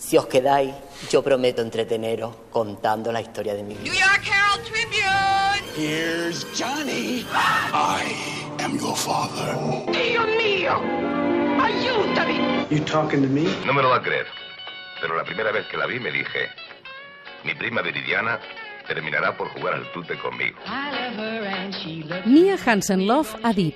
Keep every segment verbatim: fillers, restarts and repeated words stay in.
Si os quedáis, yo prometo entreteneros contando la historia de mi vida. New York Herald Tribune. Here's Johnny. I am your father. Dio mío, ayúdame. You talking to me? No me lo va a creer, pero la primera vez que la vi me dije, mi prima Viridiana terminarà por jugar al tute conmigo. Mia Hansen-Løf ha dit: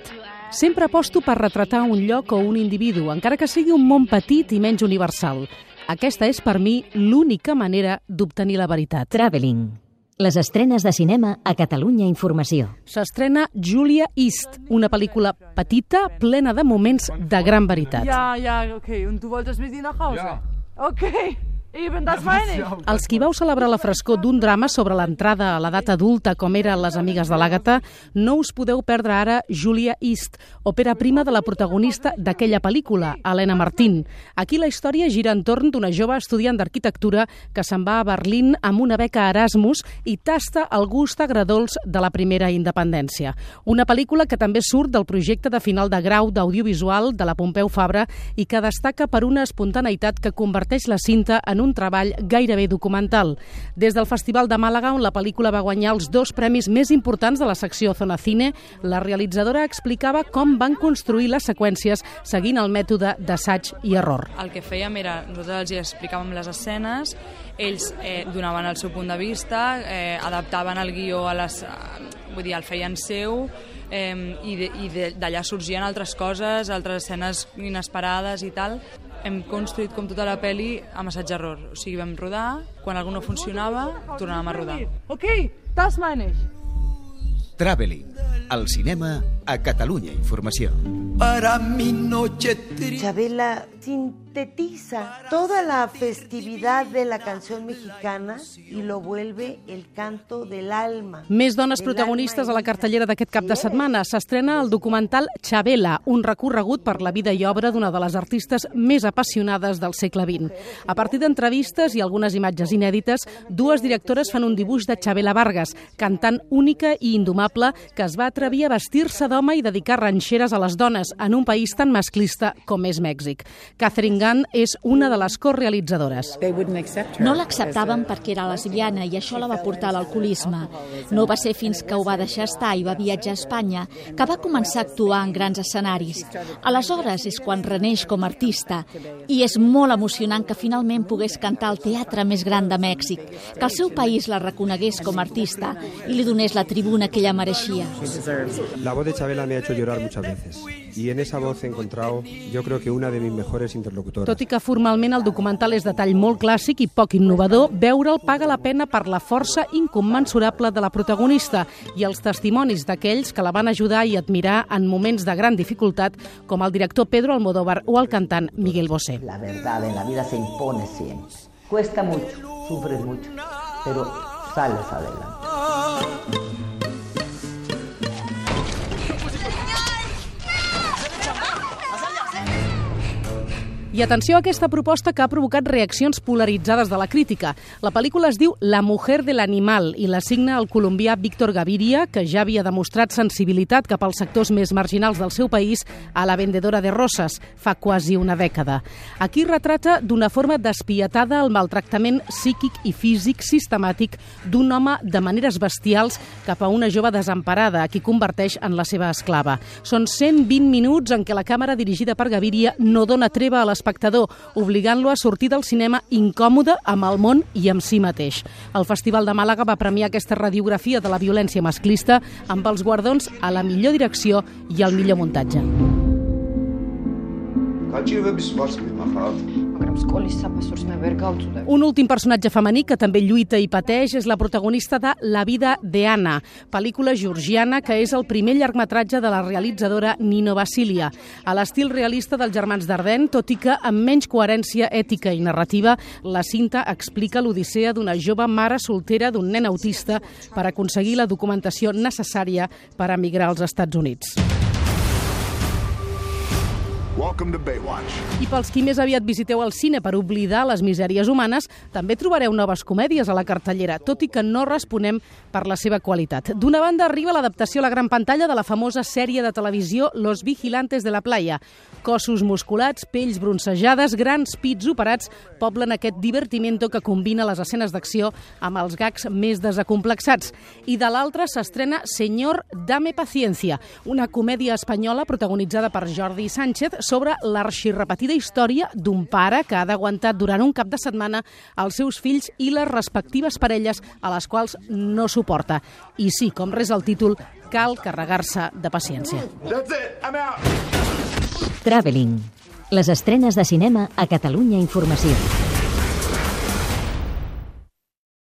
sempre aposto per retratar un lloc o un individu, encara que sigui un món petit i menys universal. Aquesta és, per mi, l'única manera d'obtenir la veritat. Traveling. Les estrenes de cinema a Catalunya Informació. S'estrena Julia East, una pel·lícula petita, plena de moments de gran veritat. Ja, ja, okay. Und du wolltest mit ihr nach Hause? Ja. Okay. Eben, das meine ich. Els qui vau celebrar la frescor d'un drama sobre l'entrada a l'edat adulta com eren Les amigues de l'Àgata, no us podeu perdre ara Julia East, òpera prima de la protagonista d'aquella pel·lícula, Helena Martín. Aquí la història gira entorn d'una jove estudiant d'arquitectura que se'n va a Berlín amb una beca Erasmus i tasta el gust agredolç de la primera independència. Una pel·lícula que també surt del projecte de final de grau d'audiovisual de la Pompeu Fabra i que destaca per una espontaneïtat que converteix la cinta en un treball gairebé documental. Des del Festival de Màlaga, on la pel·lícula va guanyar els dos premis més importants de la secció Zona Cine, la realitzadora explicava com van construir les seqüències seguint el mètode d'assaig i error. El que fèiem era, nosaltres els explicàvem les escenes, ells eh, donaven el seu punt de vista, eh, adaptaven el guió a les... vull dir, el feien seu, eh, i d'allà sorgien altres coses, altres escenes inesperades i tal. Hem construït com tota la pel·li amb assaig-error. O sigui, vam rodar, quan algú no funcionava, tornàvem a rodar. Ok, das meine ich. Traveling, el cinema a Catalunya Informació. Para mi noche triste. Chabela sintetiza toda la festividad de la canción mexicana y lo vuelve el canto del alma. Més dones protagonistes a la cartellera d'aquest cap de setmana. S'estrena el documental Chabela, un recorregut per la vida i obra d'una de les artistes més apassionades del segle vint. A partir d'entrevistes i algunes imatges inèdites, dues directores fan un dibuix de Chabela Vargas, cantant única i indomable que es va atrevir a vestir-se d'home i dedicar ranxeres a les dones en un país tan masclista com és Mèxic. Catherine Gunn és una de les corealitzadores. No l'acceptaven perquè era lesbiana i això la va portar a l'alcoholisme. No va ser fins que ho va deixar estar i va viatjar a Espanya que va començar a actuar en grans escenaris. Aleshores és quan reneix com a artista i és molt emocionant que finalment pogués cantar al teatre més gran de Mèxic, que el seu país la reconegués com a artista i li donés la tribuna que ella mereixia. La voz de Chabela me ha hecho llorar muchas veces y en esa voz he encontrado, yo creo que una de mis mejores interlocutoras. Tot i que formalment el documental és de tall molt clàssic i poc innovador, veure'l paga la pena per la força incommensurable de la protagonista i els testimonis d'aquells que la van ajudar i admirar en moments de gran dificultat, com el director Pedro Almodóvar o el cantant Miguel Bosé. La verdad en la vida se impone siempre. Cuesta mucho, sufres mucho, pero sales adelante. I atenció a aquesta proposta que ha provocat reaccions polaritzades de la crítica. La pel·lícula es diu La mujer del animal i la signa el colombià Víctor Gaviria, que ja havia demostrat sensibilitat cap als sectors més marginals del seu país a La vendedora de roses fa quasi una dècada. Aquí retrata d'una forma despietada el maltractament psíquic i físic sistemàtic d'un home de maneres bestials cap a una jove desemparada, a qui converteix en la seva esclava. Són cent vint minuts en què la càmera dirigida per Gaviria no dona treva a l'espectador, obligant-lo a sortir del cinema incòmode amb el món i amb si mateix. El Festival de Màlaga va premiar aquesta radiografia de la violència masclista amb els guardons a la millor direcció i al millor muntatge. Un últim personatge femení que també lluita i pateix és la protagonista de La vida de Anna, pel·lícula georgiana que és el primer llargmetratge de la realitzadora Nino Vasilia. A l'estil realista dels germans Dardenne, tot i que amb menys coherència ètica i narrativa, la cinta explica l'odissea d'una jove mare soltera d'un nen autista per aconseguir la documentació necessària per emigrar als Estats Units. Welcome to Baywatch. I pels qui més aviat visiteu el cine per oblidar les misèries humanes, també trobareu noves comèdies a la cartellera, tot i que no responem per la seva qualitat. D'una banda arriba l'adaptació a la gran pantalla de la famosa sèrie de televisió Los Vigilantes de la Playa. Cossos musculats, pells bronzejades, grans pits operats poblen aquest divertimento que combina les escenes d'acció amb els gags més desacomplexats. I de l'altra s'estrena Señor, dame paciencia, una comèdia espanyola protagonitzada per Jordi Sánchez sobre l'arxirrepetida història d'un pare que ha d'aguantar durant un cap de setmana els seus fills i les respectives parelles a les quals no suporta. I sí, com res el títol, cal carregar-se de paciència. That's it. I'm out. Traveling. Les estrenes de cinema a Catalunya Informació.